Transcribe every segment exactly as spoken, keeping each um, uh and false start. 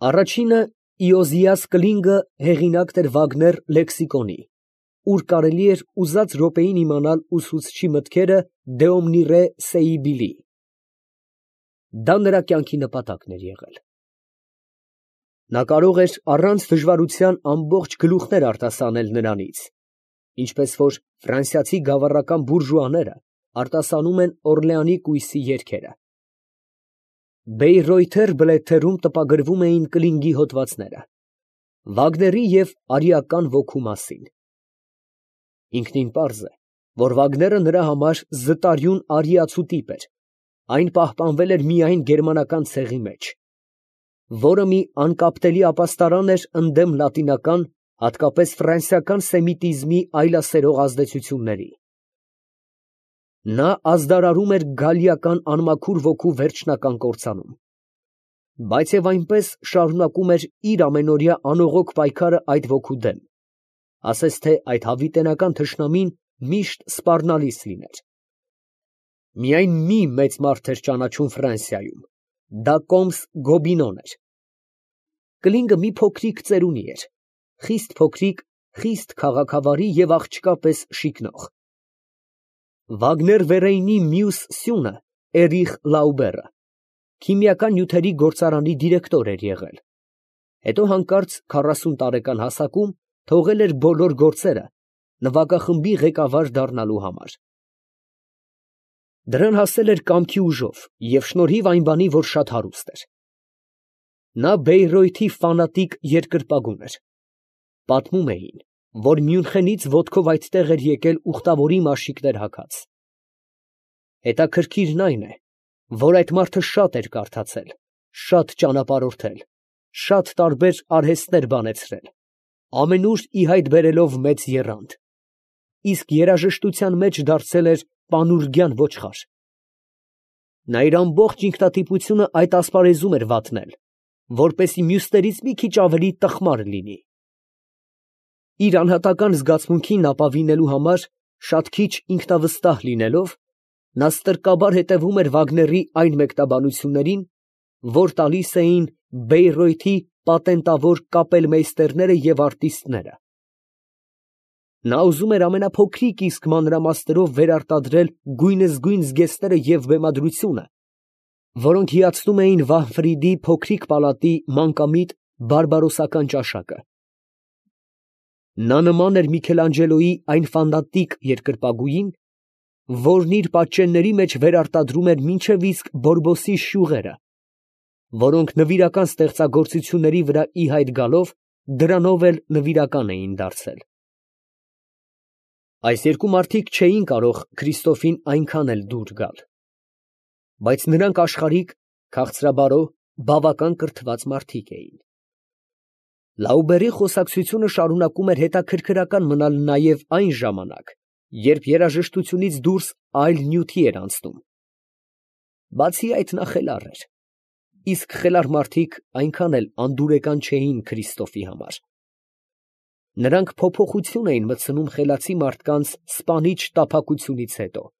Առաջինը Իոզիաս Կլինգը հեղինակ էր Վագներ լեքսիկոնի, ուր կարելի էր ուզած րոպեին իմանալ ուսուցչի մտքերը Դեոմնիրե Սեիբիլի։ Դա նրա կյանքի նպատակն էր եղել։ Նա կարող էր առանց դժվարության ամբողջ գլուխներ արտասանել նրանից, ինչպես որ ֆրանսիացի գավառական բուրժուաները արտասանում են Օրլեանի կույսի երգերը։ Բեյրոյթեր բլեթերում տպագրվում էին Կլինգի հոդվածները, Վագների և արիական ոգու մասին։ Ինքնին պարզ է, որ Վագները նրա համար զտարյուն արիացու տիպ էր, այն պահպանվել էր միայն գերմանական ցեղի մեջ, որը մի անկապտելի ապաստարան էր ընդդեմ լատինական, հատկապես ֆրանսիական սեմիտիզմի այլասերող ազդեցությունների։ Նա ազդարարում էր գալիական անմաքուր ոգու վերջնական կործանում, բայց և այնպես շարունակում էր իր ամենօրյա անողոք պայքարը այդ ոգու դեմ, ասես թե այդ հավիտենական թշնամին միշտ սպառնալիս լիներ։ Միայն մի մեծ մարդ էր ճանաչում Ֆրանսիայում, դա կոմս Գոբինոն էր։ Կլինգը մի փոքրիկ ծերունի էր, խիստ փոքրիկ, խիստ քաղաքավարի և աղջկա պես շիկնող։ Վագներ Վերեյնի մյուս սյունը Էրիխ Լաուբերը քիմիական նյութերի գործարանի դիրեկտոր էր եղել, հետո հանկարծ քառասուն տարեկան հասակում թողել էր բոլոր գործերը նվագախմբի ղեկավար դառնալու համար։ Դրան հասել էր կամքի ուժով և շնորհիվ այն բանի, որ շատ հարուստ էր։ Նա Բեյրոյթի ֆանատիկ երկրպագուն էր։ Պատմում էին, որ Մյունխենից ոտքով այդտեղ էր եկել ուխտավորի մաշիկներ հագած։ Հետաքրքիրն այն է, որ այդ մարդը շատ էր կարդացել, շատ ճանապարհորդել, շատ տարբեր արհեստներ բանեցրել, ամենուր ի հայտ բերելով մեծ եռանդ, իսկ երաժշտության մեջ դարձել էր պանուրգյան ոչխար։ Նա իր ամբողջ ինքնատիպությունը այդ ասպարեզում էր վատնել, որպեսզի մյուսներից մի քիչ ավելի տխմար լինի։ Իր անհատական զգացմունքին ապավինելու համար, շատ քիչ ինքնավստահ լինելով, նա ստրկաբար հետևում էր Վագների այն մեկնաբանություններին, որ տալիս էին Բեյրոյթի պատենտավոր կապելմեյստերները և արտիստները։ Նա ուզում էր ամենափոքրիկ իսկ մանրամասներով վերարտադրել գույնզգույն զգեստները և բեմադրությունը, որոնք հիացնում էին Վահֆրիդի փոքրիկ պալատի մանկամիտ բարբարոսական ճաշակը։ Նա նման էր Միքելանջելոյի այն ֆանատիկ երկրպագուին, որն իր պատճենների մեջ վերարտադրում էր մինչև իսկ Բորբոսի շյուղերը, որոնք նվիրական ստեղծագործությունների վրա ի հայտ գալով, դրանով էլ նվիրական էին դարձել։ Այս երկու մարդիկ չէին կարող Քրիստոֆին այնքան էլ դուր գալ, բայց նրանք աշխարհիկ, քաղցրաբարո, բավական կրթված մարդիկ էին։ Լաուբերի խոսակցությունը շարունակում էր հետաքրքրական մնալ նաև այն ժամանակ, երբ երաժշտությունից դուրս այլ նյութի էր անցնում։ Բացի այդ նա խելառ էր, իսկ խելառ մարդիկ այնքան էլ անդուրեկան չէին Քրիստոֆի համար։ Նրանք փոփոխություն էին մտցնում խելացի մարդկանց սպանիչ տափակությունից հետո։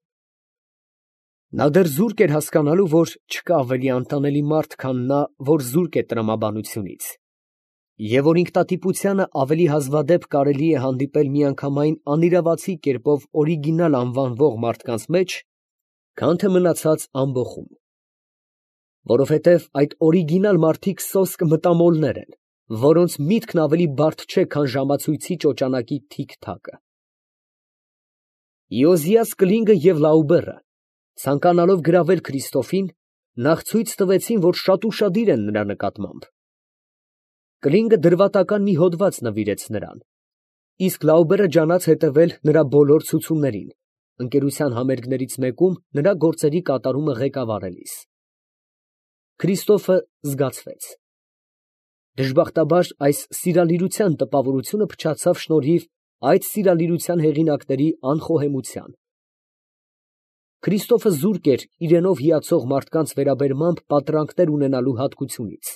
Նա դեռ զուրկ էր հասկանալու, որ չկա ավելի անտանելի մարդ, քան նա, որ զուրկ է տրամաբանությունից, և որ ինքնատիպությանը ավելի հազվադեպ կարելի է հանդիպել միանգամայն անիրավացի կերպով օրիգինալ անվանվող մարդկանց մեջ, քան թե մնացած ամբոխում։ Որովհետև այդ օրիգինալ մարդիկ սոսկ մտամոլներ են, որոնց միտքն ավելի բարդ չէ, քան ժամացույցի ճոճանակի թիք֊թակը։ Իոզիաս Կլինգը և Լաուբերը, ցանկանալով գրավել Քրիստոֆին, նախ ցույց տվեցին, որ շատ ուշադիր են նրա նկատմամբ։ Կլինգը դրվատական մի հոդված նվիրեց նրան, իսկ Լաուբերը ջանաց հետևել նրա բոլոր ցուցումներին, ընկերության համերգներից մեկում նրա գործերի կատարումը ղեկավարելիս։ Քրիստոֆը զգացվեց։ Դժբախտաբար այս սիրալիրության տպավորությունը փչացավ շնորհիվ այդ սիրալիրության հեղինակների անխոհեմության։ Քրիստոֆը զուրկ էր իրենով հիացող մարդկանց վերաբերմամբ պատրանքներ ունենալու հատկությունից։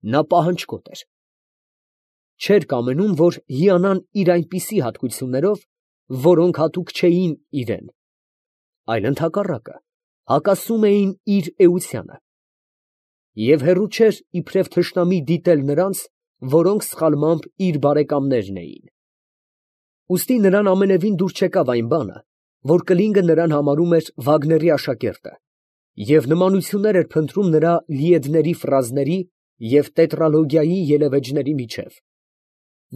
Նա պահանջկոտ էր։ Չէր կամենում, որ հիանան իր այնպիսի հատկություններով, որոնք հատուկ չէին իրան, այլ ընդհակառակը, հակասում էին իր էությանը։ և հեռու չէր իբրև թշնամի դիտել նրանց, որոնք սխալմամբ իր բարեկամներն էին։ Ուստի նրան ամենևին դուր չեկավ այն բանը, որ Կլինգը նրան համարում էր Վագների աշակերտը և նմանություններ էր փնտրում նրա լիեդների ֆրազների և տետրալոգիայի ելևէջների միջև,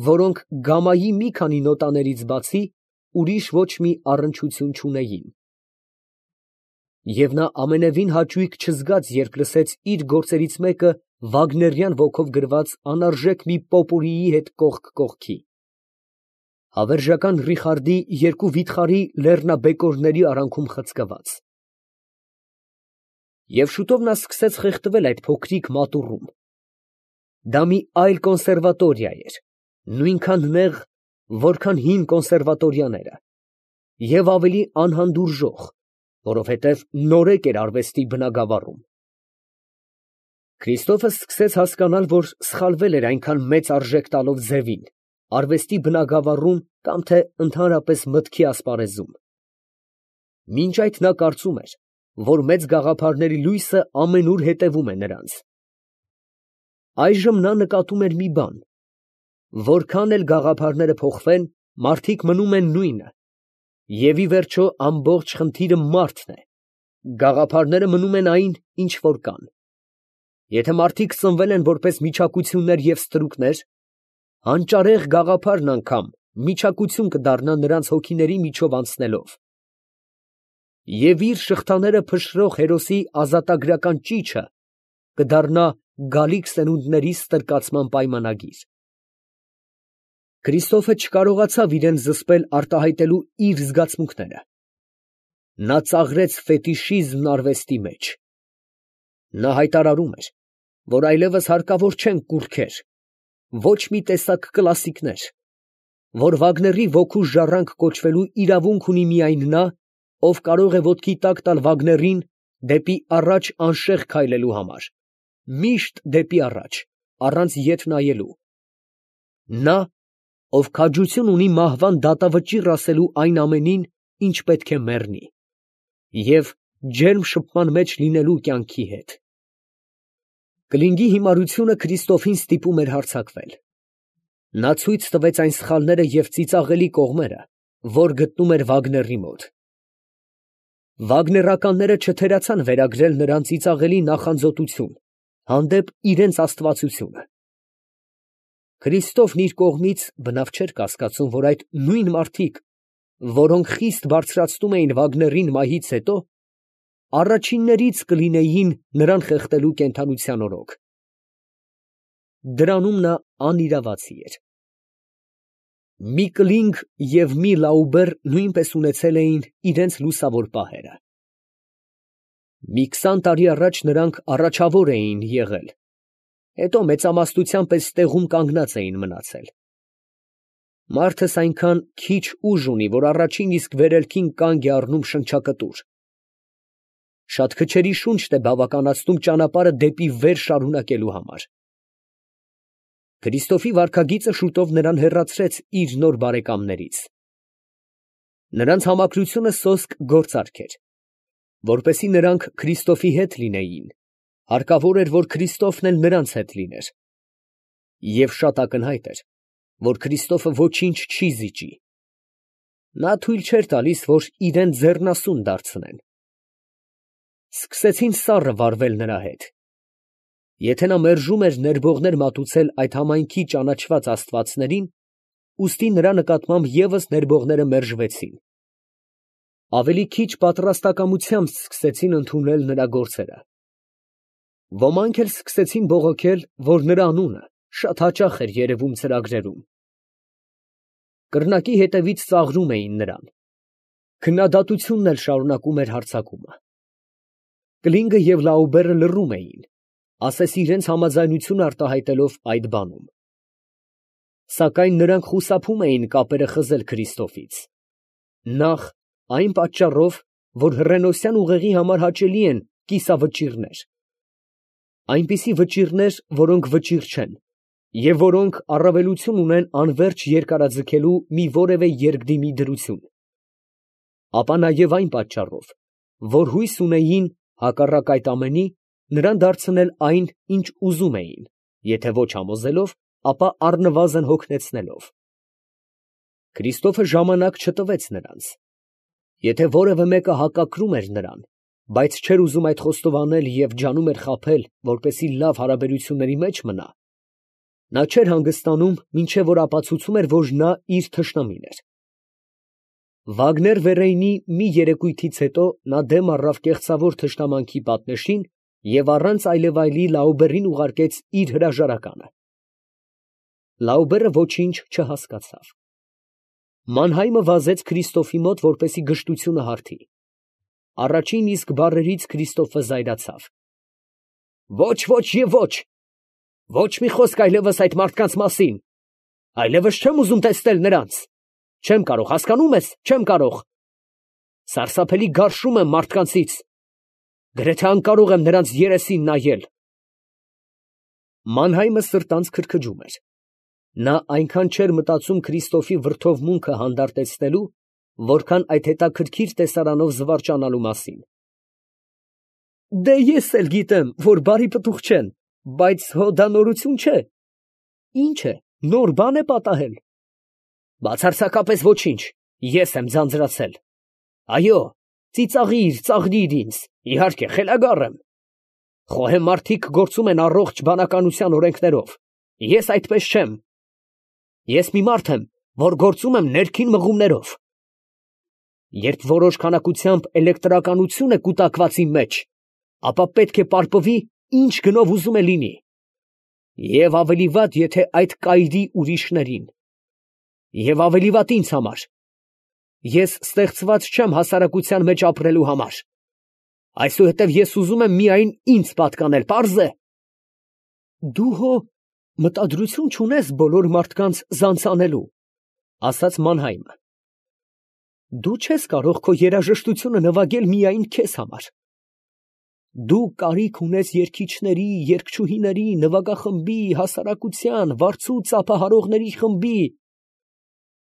որոնք գամայի մի քանի նոտաներից բացի ուրիշ ոչ մի առնչություն չունեին։ Եվ նա ամենևին հաճույք չզգաց, երբ լսեց իր գործերից մեկը վագներյան ոգով գրված անարժեք մի պոպուրիի հետ կողք կողքի, հավերժական Ռիխարդի երկու վիթխարի լեռնաբեկորների արանքում խցկված։ Եվ շուտով նա սկսեց խեղդվել այդ փոքրիկ մատուռում։ Դա մի այլ կոնսերվատորիա էր, նույնքան նեղ, որքան հին կոնսերվատորիաները, և ավելի անհանդուրժող, որովհետև նորեկ էր արվեստի բնագավառում։ Քրիստոֆը սկսեց հասկանալ, որ սխալվել էր այնքան մեծ արժեք տալով ձևին, արվեստի բնագավառում կամ թե ընդհանրապես մտքի ասպարեզում։ Մինչ այդ նա կարծում էր, որ մեծ գաղափարների լույսը ամենուր հետևում է նրանց։ Այժմ նա նկատում էր մի բան. որքան էլ գաղափարները փոխվեն, մարդիկ մնում են նույնը, և ի վերջո ամբողջ խնդիրը մարդն է, գաղափարները մնում են այն, ինչ որ կան։ Եթե մարդիկ սնվել են որպես միջակություններ և ստրուկներ, հանճարեղ գաղափարն անգամ միջակություն կդառնա նրանց հոգիների միջով անցնելով, և իր շղթաները փշրող հերոսի ազատագրական ճիչը կդառնա գալիք սերունդների ստրկացման պայմանագիր։ Քրիստոֆը չկարողացավ իրան զսպել արտահայտելու իր զգացմունքները։ Նա ծաղրեց ֆետիշիզմն արվեստի մեջ։ Նա հայտարարում էր, որ այլևս հարկավոր չեն կուռքեր, ոչ մի տեսակ կլասիկներ, որ Վագների ոգու ժառանգ կոչվելու իրավունք ունի միայն նա, ով կարող է ոտքի տակ տալ Վագներին դեպի առաջ անշեղ քայլելու համար, միշտ դեպի առաջ, առանց ետ նայելու, նա, ով քաջություն ունի մահվան դատավճիռ ասելու այն ամենին, ինչ պետք է մեռնի, և ջերմ շփման մեջ լինելու կյանքի հետ։ Կլինգի հիմարությունը Քրիստոֆին ստիպում էր հարձակվել։ Նա ցույց տվեց այն սխալները և ծիծաղելի կողմերը, որ գտնում էր Վագների մոտ։ Վագներականները չթերացան վերագրել նրան ծիծաղելի նախանձոտություն հանդեպ իրենց աստվածությունը։ Քրիստոֆն իր կողմից բնավ չէր կասկածում, որ այդ նույն մարդիկ, որոնք խիստ բարձրացնում էին Վագներին մահից հետո, առաջիններից կլինեին նրան խեղդելու կենդանության օրոք։ Դրանում նա անիրավացի էր։ Մի Կլինգ և մի Լաուբեր նույնպես ունեցել էին իրենց լուսավոր պահերը։ Մի քսան տարի առաջ նրանք առաջավոր էին եղել, հետո մեծամասնության պես տեղում կանգնած էին մնացել։ Մարդս այնքան քիչ ուժ ունի, որ առաջին իսկ վերելքին կանգ է առնում շնչակտուր։ Շատ քչերի շունչն է բավականացնում ճանապարհը դեպի վեր շարունակելու համար։ Քրիստոֆի վարքագիծը շուտով նրան հեռացրեց իր նոր բարեկամներից։ Նրանց համակրությունը սոսկ գործարք էր։ Որպեսզի նրանք Քրիստոֆի հետ լինեին, հարկավոր էր, որ Քրիստոֆն էլ նրանց հետ լիներ։ Եվ շատ ակնհայտ էր, որ Քրիստոֆը ոչինչ չի զիջի։ Նա թույլ չէր տալիս, որ իրան ձեռնասուն դարձնեն։ Սկսեցին սառը վարվել նրա հետ։ Եթե նա մերժում էր ներբողներ մատուցել այդ համայնքի ճանաչված աստվածներին, ուստի նրա նկատմամբ ևս ներբողները մերժվեցին։ Ավելի քիչ պատրաստակամությամբ սկսեցին ընդունել նրա գործերը։ Ոմանք էլ սկսեցին բողոքել, որ նրա անունը շատ հաճախ էր երևում ծրագրերում։ Կրնակի հետևից ծաղրում էին նրան։ Քննադատությունն էլ շարունակում էր հարձակումը։ Կլինգը և Լաուբերը լռում էին, ասես իրենց համաձայնությունը արտահայտելով այդ բանում։ Սակայն նրանք խուսափում էին կապերը խզել Քրիստոֆից։ Նախ, այն պատճառով, որ հռենոսյան ուղեղի համար հաճելի են կիսավճիռներ, այնպիսի վճիռներ, որոնք վճիռ չեն, և որոնք առավելություն ունեն անվերջ երկարաձգելու մի որևէ երկդիմի դրություն, ապա նաև այն պատճառով, որ հույս ունեին, հակառակ այդ ամենի, նրան դարձնել այն, ինչ ուզում էին, եթե ոչ համոզելով, ապա առնվազն հոգնեցնելով։ Քրիստոֆը ժամանակ չտվեց նրանց։ Եթե որևէ մեկը հակակրում էր նրան, բայց չէր ուզում այդ խոստովանել և ջանում էր խաբել, որպեսզի լավ հարաբերությունների մեջ մնա, նա չէր հանգստանում, մինչև որ ապացուցում էր, որ նա իր թշնամին էր։ Վագներ֊Վերեյնի մի երեկույթից հետո նա դեմ առավ կեղծավոր թշնամանքի պատնեշին և առանց այլևայլի Լաուբերին ուղարկեց իր հրաժարականը։ Լաուբերը ոչինչ չհասկացավ։ Մանհայմը վազեց Քրիստոֆի մոտ, որպեսզի գժտությունը հարթի։ Առաջին իսկ բառերից Քրիստոֆը զայրացավ։ Ոչ, ոչ և ոչ, ոչ մի խոսք այլևս այդ մարդկանց մասին, այլևս չեմ ուզում տեսնել նրանց, չեմ կարող, հասկանում ես, չեմ կարող, սարսափելի գարշում եմ մարդկանցից, գրեթե անկարող եմ նրանց երեսին նայել։ Մանհայմը սրտանց քրքջում էր։ Նա այնքան չէր մտածում Քրիստոֆի վրդովմունքը հանդարտեցնելու, որքան այդ հետաքրքիր տեսարանով զվարճանալու մասին։ Դե ես էլ գիտեմ, որ բարի պտուղ չեն, բայց հո դա նորություն չէ։ Ինչ է, նոր բան է պատահել։ Բացարձակապես ոչինչ, ես եմ ձանձրացել։ Այո, ծիծաղիր, ծաղրիր ինձ, իհարկե, խելագար եմ։ Խոհեմ մարդիկ գործում են առողջ բանականության օրենքներով, ես այդպես չեմ։ Ես մի մարդ եմ, որ գործում եմ ներքին մղումներով։ Երբ որոշ քանակությամբ էլեկտրականություն է կուտակված իմ մեջ, ապա պետք է պարպվի, ինչ գնով ուզում է լինի։ Եվ ավելի վատ, եթե այդ կայրի ուրիշներին։ Եվ ավելի վատ ինձ համար։ Ես ստեղծված չեմ հասարակության մեջ ապրելու համար։ Այսուհետև ես ուզում եմ միայն ինձ պատկանել, պարզ է։ Դու հո մտադրություն չունես բոլոր մարդկանց զանցանելու, ասաց Մանհայմը։ Դու չես կարող քո երաժշտությունը նվագել միայն քեզ համար։ Դու կարիք ունես երգիչների, երգչուհիների, նվագախմբի, հասարակության, վարձու ծափահարողների խմբի։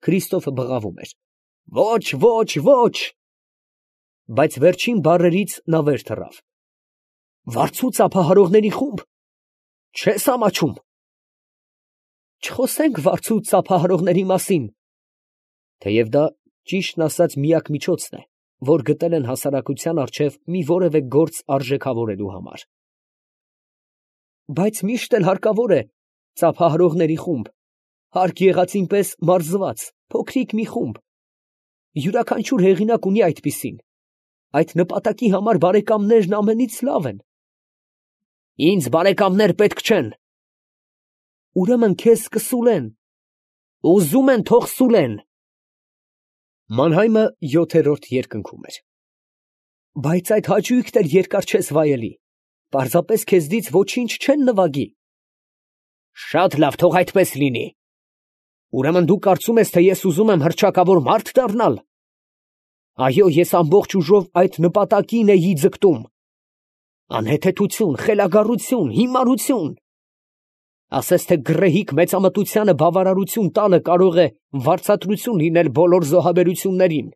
Քրիստոֆը բղավում էր։ Ոչ, ոչ, ոչ։ Բայց վերջին բառերից նա վեր թռավ։ Վարձու ծափահարողների խումբ։ Չես ամաչում։ Չխոսենք վարձու ծափահարողների մասին, թեև դա ճիշտն ասած միակ միջոցն է, որ գտել են հասարակության առջև մի որևէ գործ արժեքավորելու համար։ Բայց միշտ էլ հարկավոր է ծափահարողների խումբ, հարկ եղածին պես մարզված, փոքրիկ մի խումբ։ Յուրաքանչյուր հեղինակ ունի այդպիսին։ Այդ նպատակի համար բարեկամներն ամենից լավ են։ Ինձ բարեկամներ պետք չեն։ Ուրեմն քեզ կսուլեն։ Ուզում են, թող սուլեն։ Մանհայմը յոթերորդ երկնքում էր։ Բայց այդ հաճույքն էլ երկար չես վայելի, պարզապես քեզնից ոչինչ չեն նվագի։ Շատ լավ, թող այդպես լինի։ Ուրեմն դու կարծում ես, թե ես ուզում եմ հռչակավոր մարդ դառնալ։ Այո, ես ամբողջ ուժով այդ նպատակին էի ձգտում։ Անհեթեթություն, խելագարություն, հիմարություն։ Ասես թե գռեհիկ մեծամտությանը բավարարություն տալը կարող է վարձատրություն լինել բոլոր զոհաբերություններին,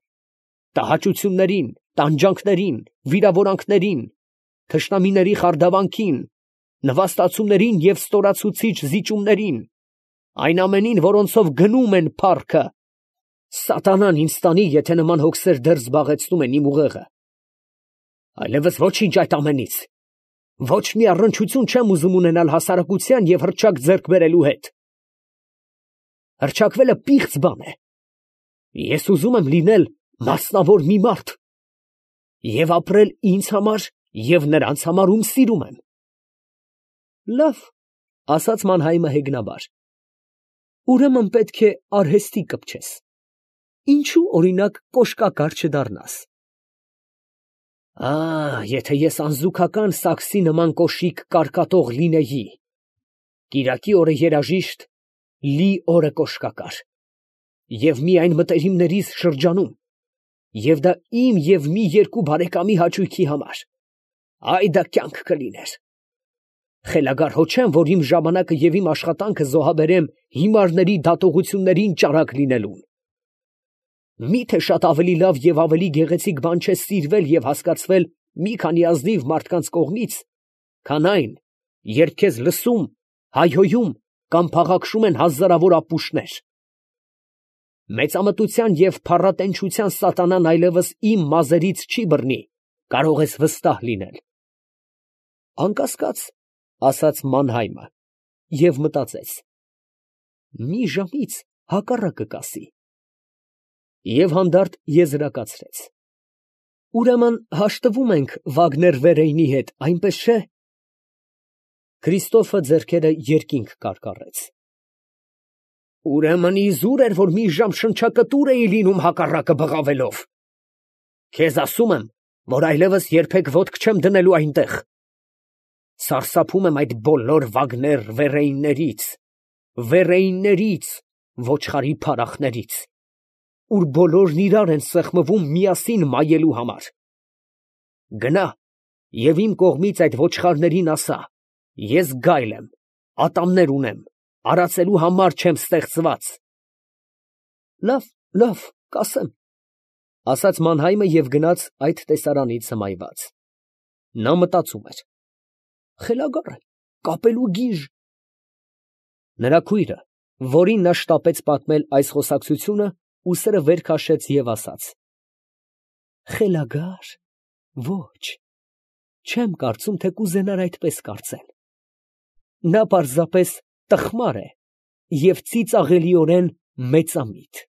տհաճություններին, տանջանքներին, վիրավորանքներին, թշնամիների խարդավանքին, նվաստացումներին և ստորացուցիչ զիջումներին, այն ամենին, որոնցով գնում են փառքը։ Սատանան ինձ տանի, եթե նման հոգսեր դեռ զբաղեցնում են իմ ուղեղը։ Այլևս ոչինչ այդ ամենից։ Ոչ մի առնչություն չեմ ուզում ունենալ հասարակության և հռչակ ձեռք բերելու հետ։ Հռչակվելը պիղծ բան է։ Ես ուզում եմ լինել մասնավոր մի մարդ և ապրել ինձ համար և նրանց համար, ում սիրում եմ։ Լավ, ասաց Մանհայմը հեգնաբար։ Ուրեմն պետք է արհեստի կպչես։ Ինչու, օրինակ, կոշկակար չդառնաս։ Ա, եթե ես անզուգական սաքսի նման կոշիկ կարկատող լինեի, կիրակի օրը երաժիշտ, լի օրը կոշկակար, և միայն մտերիմներիս շրջանում, և դա իմ և մի երկու բարեկամի հաճույքի համար, այ դա կյանք կլիներ։ Խելագար հո չեմ, որ իմ ժամանակը և իմ աշխատանքը զոհաբերեմ հիմարների դատողություններին ճարակ լինելուն։ Մի՞թե շատ ավելի լավ և ավելի գեղեցիկ բան չէ սիրվել և հասկացվել մի քանի ազնիվ մարդկանց կողմից, քան այն, երբ քեզ լսում, հայհոյում կամ փաղաքշում են հազարավոր ապուշներ։ Մեծամտության և փառատենչության սատանան այլևս իմ մազերից չի բռնի, կարող ես վստահ լինել։ Անկասկած, ասաց Մանհայմը և մտածեց. մի ժամից հակառակը կասի։ Եվ հանդարտ եզրակացրեց. ուրեմն հաշտվում ենք Վագներ֊Վերեյնի հետ, այնպես չէ՞։ Քրիստոֆը ձեռքերը երկինք կարկառեց։ Ուրեմն իզուր էր, որ մի ժամ շնչակտուր էի լինում հակառակը բղավելով։ Քեզ ասում եմ, որ այլևս երբեք ոտք չեմ դնելու այնտեղ։ Սարսափում եմ այդ բոլոր Վագներ֊Վերեյններից, Վերեյններից, ոչխարի փարախներից, ուր բոլորն իրար են սեղմվում միասին մայելու համար։ Գնա և իմ կողմից այդ ոչխարներին ասա. ես գայլ եմ, ատամներ ունեմ, արածելու համար չեմ ստեղծված։ Լավ, լավ, կասեմ, ասաց Մանհայմը և գնաց այդ տեսարանից հմայված։ Նա մտածում էր. խելագար է, կապելու գիժ։ Նրա քույրը, որին նա շտապեց պատմել այս խոսակցությունը, ուսերը վեր քաշեց և ասաց. խելագա՞ր, ոչ, չեմ կարծում, թե կուզենար այդպես կարծել։ Նա պարզապես տխմար է և ծիծաղելիորեն մեծամիտ։